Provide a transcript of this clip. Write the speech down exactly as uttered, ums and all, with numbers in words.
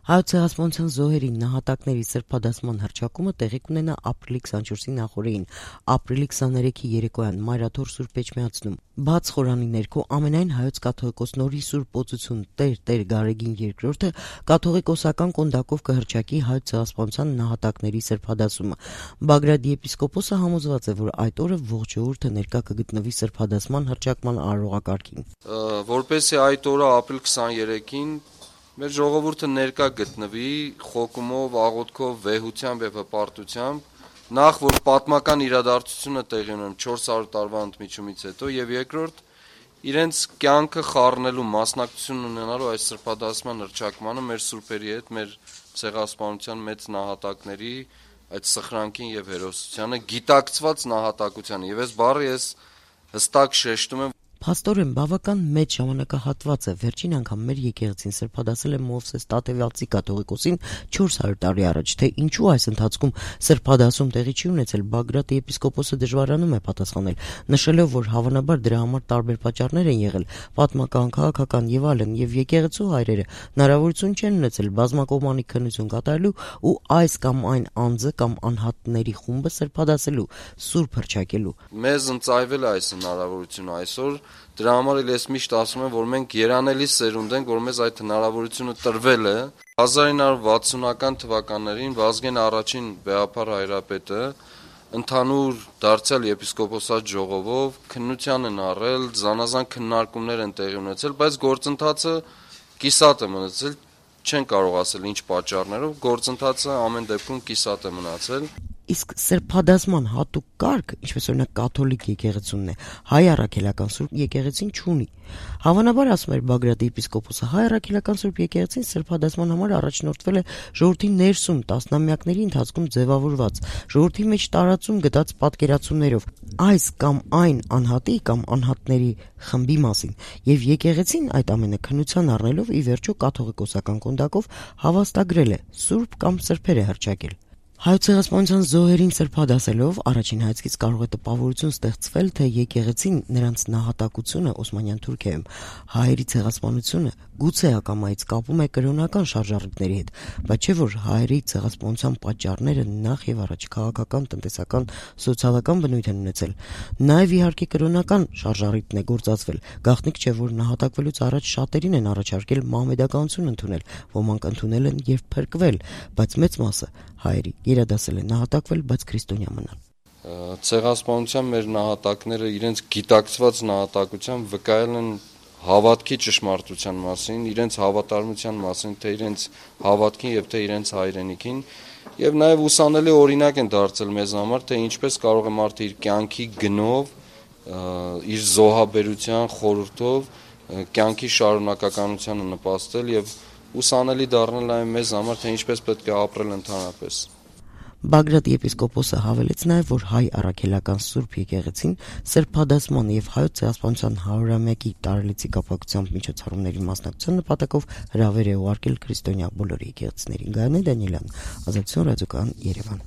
Հայոց ցեղասպանության զոհերի նահատակների սրբադասման հռչակումը տեղի կունենա ապրիլի քսանչորսի նախօրեին, ապրիլի քսաներեքի երեկոյան Մայրաթոր Սուրբ Էջմիածնում։ Բաց խորանի ներքո ամենայն հայոց կաթողիկոս Նորի Սուրբ Օծություն Տեր Տեր Գարեգին երկրորդը կաթողիկոսական կոնդակով կհռչակի հայոց ցեղասպանության նահատակների սրբադասումը։ Բագրատի եպիսկոպոսը համոզված է, որ այդ օրը ողջ ժողովուրդը ներկա կգտնվի սրբադասման հռչակման արարողակարգին։ Որպեսզի այդ օրը ապրիլ քսաներեքին մեր ժողովուրդը ներկա գտնվի խոկումով, աղոթքով, վեհությամբ եւ հպարտությամբ, նախ որ պատմական իրադարձությունը տեղի ունեն չորս հարյուր տարվա ընդմիջումից հետո, եւ երկրորդ իրենց կյանքը խառնելու, մասնակցություն ունենալու այս սրբադասման հռչակմանը մեր սուրբերի հետ, մեր ցեղասպանության մեծ նահատակների այդ սխրանքին եւ հերոսությանը, գիտակցված նահատակությանը, եւ այս բառը ես հստակ շեշտում եմ։ Փաստորեն բավական մեծ ժամանակահատված է, վերջին անգամ մեր եկեղեցին սրբադասել է Մովսես Տատևալցի կաթողիկոսին չորս հարյուր տարի առաջ, թե ինչու այս ընթացքում սրբադասում տեղի չի ունեցել, Բագրատի եպիսկոպոսը դժվարանում է պատասխանել, նշելով, որ հավանաբար դրա համար տարբեր պատճառներ են եղել, պատմական, քաղաքական եւ այլն, եւ եկեղեցու հայրերը հնարավորություն չեն ունեցել բազմակողմանի քննություն կատարելու ու այս կամ այն անձը կամ անհատների խումբը սրբադասելու, սուրբ հռչակելու։ Մեզ ընծայվել է այս հնարավորությունը այսօր։ Դրա համար էլ ես միշտ ասում եմ, որ մենք երանելի սերունդ ենք, որ մեզ այդ հնարավորությունը տրվել է։ հազար ինը հարյուր վաթսունական թվականներին Վազգեն առաջին վեհափառ հայրապետը ընդհանուր դարձյալ եպիսկոպոսատ ժողովով քննության են առել, զանազան քննարկումներ են տեղի ունեցել, բայց գործընթացը կիսատ է մնացել, չեն կարող ասել ինչ պատճառներով, գործընթացը ամեն դեպքում կիսատ է մնացել։ Իսկ սրբադասման հատուկ կարգ, ինչպես օրինակ կաթոլիկ եկեղեցունն է, հայ առաքելական Սուրբ եկեղեցին չունի։ Հավանաբար, ասում էր Բագրատի եպիսկոպոսը, հայ առաքելական Սուրբ եկեղեցին սրբադասման համար առաջնորդվել է ժողովրդի ներսում տասնամյակների ընթացքում ձևավորված, ժողովրդի մեջ տարածում գտած պատկերացումներով այս կամ այն անհատի կամ անհատների խմբի մասին, եւ եկեղեցին այդ ամենը քննության առնելով ի վերջո կաթողիկոսական կոնդակով հավաստագրել է, սուրբ կամ սրբեր է հռչակել։ Հայոց ցեղասպանության զոհերին սրբադասելով առաջին հայացքից կարող է տպավորություն ստեղծվել, թե եկեղեցին նրանց նահատակությունը Օսմանյան Թուրքիայում հայերի ցեղասպանությունը գուցե ակամայից կապում է կրոնական շարժառիթների հետ, բայց չէ որ հայերի ցեղասպանության պատճառները նախ եւ առաջ քաղաքական, տնտեսական, սոցիալական բնույթ են ունեցել։ Նաեւ իհարկե կրոնական շարժառիթն է գործածվել։ Գաղտնիք չէ որ նահատակվելուց առաջ շատերին են առաջարկել մահմեդականություն ընդունել, ոմանք ընդունել են եւ փրկվել, բայց մեծ մասը հայերի գերադասել են նահատակվել, բայց քրիստոնյա մնալ։ Ցեղասպանության մեր նահատակները իրենց գիտակցված նահատակությամբ վկայել են հավատքի ճշմարտության մասին, իրենց հավատարմության մասին, թե իրենց հավատքին եւ թե իրենց հայրենիքին, եւ նաեւ ուսանելի օրինակ են դարձել մեզ համար, թե ինչպես կարող է մարդը իր կյանքի գնով, իր զոհաբերության խորհրդով կյանքի շարունակականությանը նպաստել եւ ուսանելի դառնել նաեւ մեզ համար, թե ինչպես պետք է ապրել ընդհանրապես։ Բագրատի եպիսկոպոսը հավելեց նաև, որ հայ առաքելական Սուրբ եկեղեցին սրբադասման եւ հայոց ցեղասպանության հարյուրամյակի տարելիցի կապակցությամբ միջոցառումների մասնակցության նպատակով հրավեր է ուղարկել քրիստոնյա բոլոր եկեղեցիներին։ Գայանե Դանիելյան, Ազատություն ռադիոկայան, Երևան։